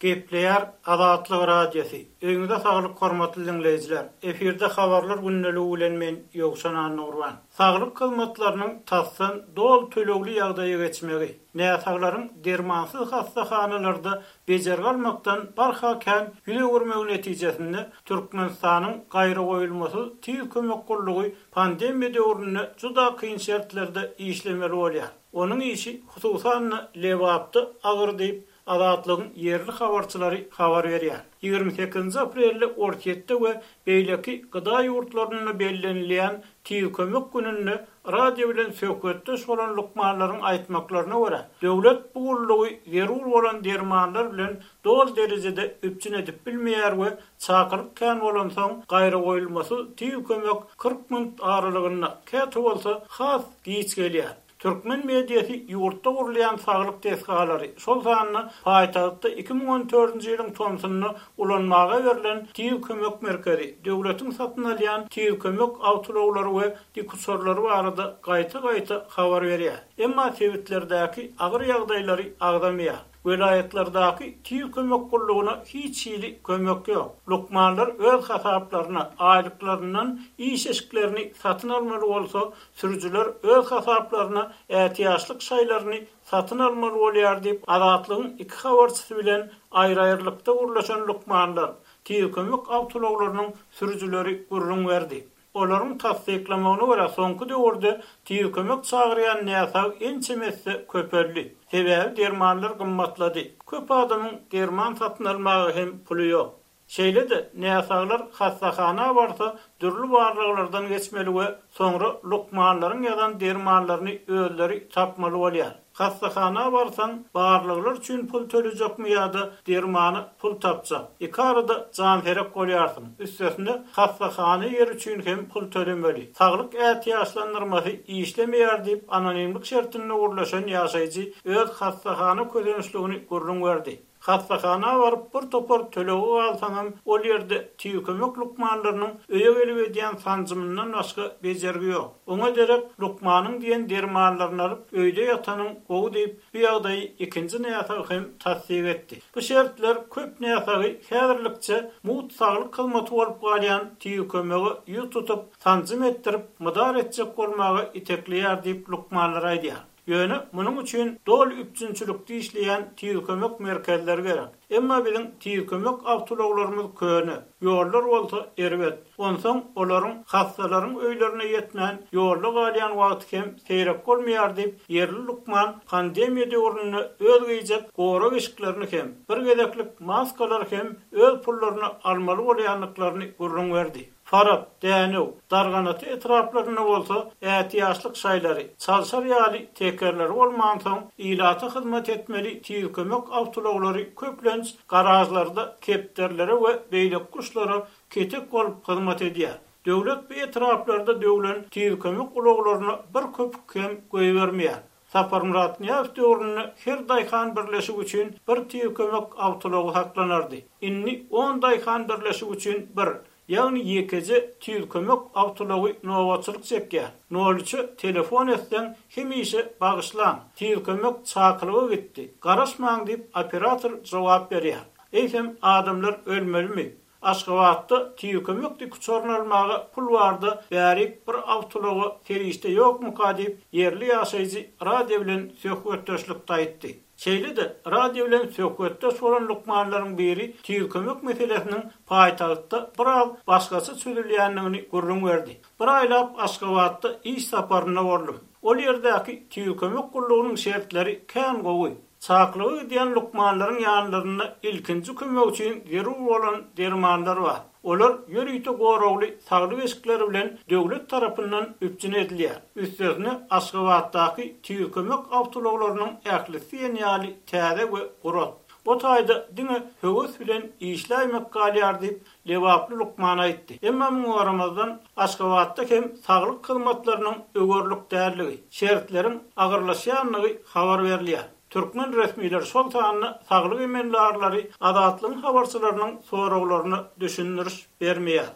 Gepleýär Azatlyk Radiosy, Öýüňize saglyk hormatly diňleýjiler! Efirde Habarlar gündeligi bilen men Ýowşan Annagurban. Saglyk hyzmatlarynyň tasdan doly tölegli ýagdaýa geçmegi, näsaglaryň dermansyz hassahanalarda bejergi almakdan barha kän ýüz öwürmegi netijesinde Türkmenistanyň gaýragoýulmasyz tiz kömek gullugy pandemiýa döwründe juda kyn şertlerde işlemeli bolýar. Onuň işi hususan-da Lebapda agyr diýip, Azatlygyň ýerli habarçylary habar berýär. Ýigrimi sekizinji aprelde Orsýetde we beýleki gda ýurtlarynda bellenilýän Tiz kömek gününde radio bilen söhbetdeş bolan lukmanlaryň aýtmaklaryna görä, döwlet bu gullugy zerur bolan dermanlar bilen doly derejede üpjün edip bilmeýär we çakylyk kän bolansoň, gaýragoýulmasyz tiz kömek 40 minut aralygynda, käte bolsa has giç gelýär. Türkmen mediasy ýurtda gurulýan saglyk desgalary, şol sanda paýtagtda 2014-nji ýylyň tomsunda ulanmaga berlen Tiz kömek merkezi, döwletiň satyn alýan tiz kömek awtoulaglary we dikuçarlary barada gaýta-gaýta habar berýär. Emma sebitlerdäki agyr ýagdaýlary agzamaýar. Welaýatlardaky tiz kömek gullugyna hiç hili kömek ýok. Lukmanlar öz hasaplaryna aýlyklaryndan iş eşiklerini satyn almaly bolsa, sürüjiler öz hasaplaryna ätiýaçlyk şaýlaryny satyn almaly bolýar diýip, Azatlygyň iki habarçysy bilen aýry-aýrylykda gürleşen lukmanlar, tiz kömek awtoulaglarynyň sürüjileri gürrüň berdi. Olaryň tassyklamagyna görä, soňky döwürde tiz kömek çagyrýan näsag ençeme esse köpeldi. Sebäbi dermanlar gymmatlady. Köp adamyň derman satyn almaga hem puly ýok. Şeýle-de, näsaglar hassahana barsa, dürli barlaglardan geçmeli we soňra lukmanlaryň ýazan dermanlaryny özleri tapmaly bolýar. Hassahana barsaň, barlaglar üçin pul tölejekmi ýa-da dermana pul tapjak? Iki arada janserek bolýarsyň. Üstesine, hassahana ýeri üçin hem pul tölemeli. Saglyk ätiýaçlandyrmasy işlemeýär diýip, anonimlik şertinde gürleşen ýaşaýjy öz hassahana kösençligini gürrüň berdi. Hassahana baryp bir topar tölege galsaňam, ol ýerde tiz kömek lukmanlarynyň öýe gelip edýän sanjymyndan başga bejergi ýok. Oňa derek lukmanyň diýen dermanlaryny alyp, öýde ýatanyň gowy diýip, bu ýagdaýy ikinji näsag hem tassyk etdi. Bu şertler köp näsagy häzirlikçe mugt saglyk hyzmaty bolup galýan tiz kömege ýüz tutup, sanjym etdirip, mydar etjek bolmaga itekleýär diýip, lukmanlar aýdýar. Ýöne munuň üçin doly üpjünçilikde işleýän tiz kömek merkezleri gerek. Emma biziň tiz kömek awtoulaglarymyz köne, ýollar bolsa erbet. Onsoň olaryň hassalaryň öýlerine ýetmän ýolda galýan wagty hem seýrek bolmaýar diýip, ýerli lukman pandemiýa döwründe öz geýjek gorag eşiklerini hem, bir gezeklik maskalary hem öz pullaryna almaly bolýandyklaryny gürrüň berdi. Farap, Dänew, Darganata etraplarynda bolsa ätiýaçlyk şaýlary, çalşar ýaly tekerleri bolmansoň, ilata hyzmat etmeli tiz kömek awtoulaglary köplenç garažlarda kepderilere we beýleki guşlara ketek bolup hyzmat edýär. Döwlet bu etraplarda döwlen tiz kömek ulaglaryna bir köpük hem goýbermeýär. Saparmyrat Nyýazow döwründe her daýhan birleşigi üçin bir tiz kömek awtoulagy saklanardy. Indi on daýhan birleşigi üçin bir, ýagny ýekeje tiz kömek awtoulagy nobatçylyk çekýär. Nol üçe telefon etseň, hemişe Bagyşlaň, tiz kömek çakylyga gitdi, garaşmaň diýip operator jogap berýär. Eýsem, adamlar ölmelimi? Aşgabatda tiz kömek dikuçaryny almaga pul barda bärik bir awtoulaga serişde ýokmuka diýip, ýerli ýaşaýjy radio bilen söhbetdeşlikde aýtdy. Şeýle-de, radio bilen söhbetdeş bolan lukmanlaryň biri tiz kömek meselesiniň paýtagtda biraz başgaça çözülýändigini gürrüň berdi. Bir aýlap Aşgabatda iş saparynda boldum. Ol ýerdäki tiz kömek gullugynyň şertleri kän gowy. Çakylyga gidýän lukmanlaryň ýanlarynda ilkinji kömek üçin zerur bolan dermanlar bar. Olar ýörite goragly saglyk eşikleri bilen döwlet tarapyndan üpjün edilýär. Üstesine, Aşgabatdaky tiz kömek awtoulaglarynyň ählisi diýen ýaly täze we gurat. O taýda diňe höwes bilen işläýmek galýar diýip, lebaply lukman aýtdy. Emma muňa garamazdan, Aşgabatda hem saglyk hyzmatlarynyň öwerlik däldigi, şertleriň agyrlaşýandygy habar berilýär. Türkmen resmileri, şol sanda saglyk emeldarlary Azatlygyň habarçylarynyň soraglaryna düşündiriş bermeýär.